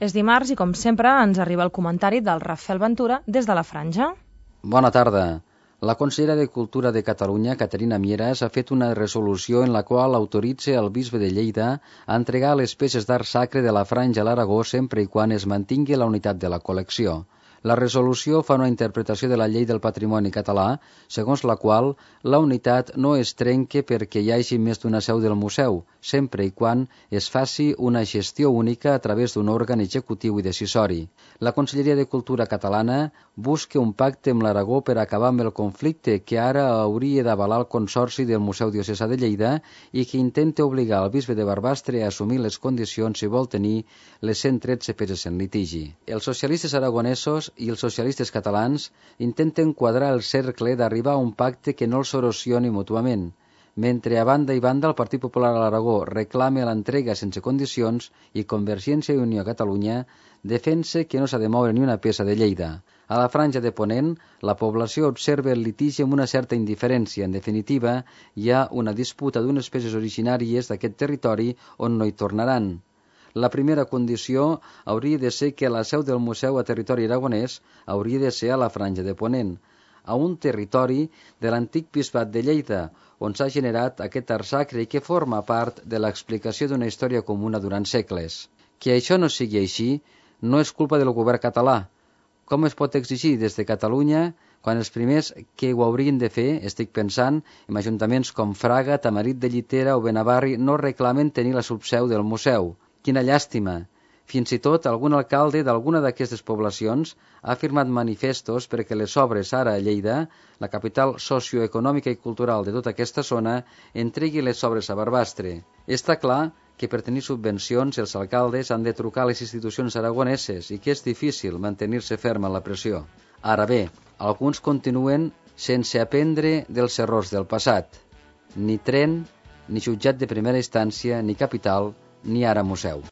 És dimarts i, com sempre, ens arriba el comentari del Rafael Ventura des de la Franja. Bona tarda. La consellera de Cultura de Catalunya, Caterina Mieras, ha fet una resolució en la qual autoritza el bisbe de Lleida a entregar les peces d'art sacre de la Franja a l'Aragó sempre i quan es mantingui la unitat de la col·lecció. La resolució fa una interpretació de la llei del patrimoni català, segons la qual la unitat no es trenca perquè hi hagi més d'una seu del museu, sempre i quan es faci una gestió única a través d'un òrgan executiu i decisori. La Conselleria de Cultura catalana busca un pacte amb l'Aragó per acabar amb el conflicte que ara hauria d'avalar el Consorci del Museu Diocesà de Lleida i que intenta obligar el bisbe de Barbastre a assumir les condicions si vol tenir les 113 peces en litigi. Els socialistes aragonesos i els socialistes catalans intenten quadrar el cercle d'arribar a un pacte que no els erosioni mútuament. Mentre a banda i banda el Partit Popular a l'Aragó reclama l'entrega sense condicions i Convergència i Unió a Catalunya defensa que no s'ha de moure ni una peça de Lleida. A la Franja de Ponent, la població observa el litigi amb una certa indiferència. En definitiva, hi ha una disputa d'unes peces originàries d'aquest territori on no hi tornaran. La primera condició hauria de ser que la seu del museu a territori aragonès hauria de ser a la Franja de Ponent, a un territori de l'antic bisbat de Lleida, on s'ha generat aquest art sacre i que forma part de l'explicació d'una història comuna durant segles. Que això no sigui així no és culpa del govern català. Com es pot exigir des de Catalunya quan els primers que ho haurien de fer, estic pensant en ajuntaments com Fraga, Tamarit de Llitera o Benavarri, no reclamen tenir la subseu del museu? Quina llàstima! Fins i tot algun alcalde d'alguna d'aquestes poblacions ha firmat manifestos perquè les obres ara a Lleida, la capital socioeconòmica i cultural de tota aquesta zona, entregui les obres a Barbastre. Està clar que per tenir subvencions els alcaldes han de trucar a les institucions aragoneses i que és difícil mantenir-se ferm en la pressió. Ara bé, alguns continuen sense aprendre dels errors del passat. Ni tren, ni jutjat de primera instància, ni capital, ni ara museu.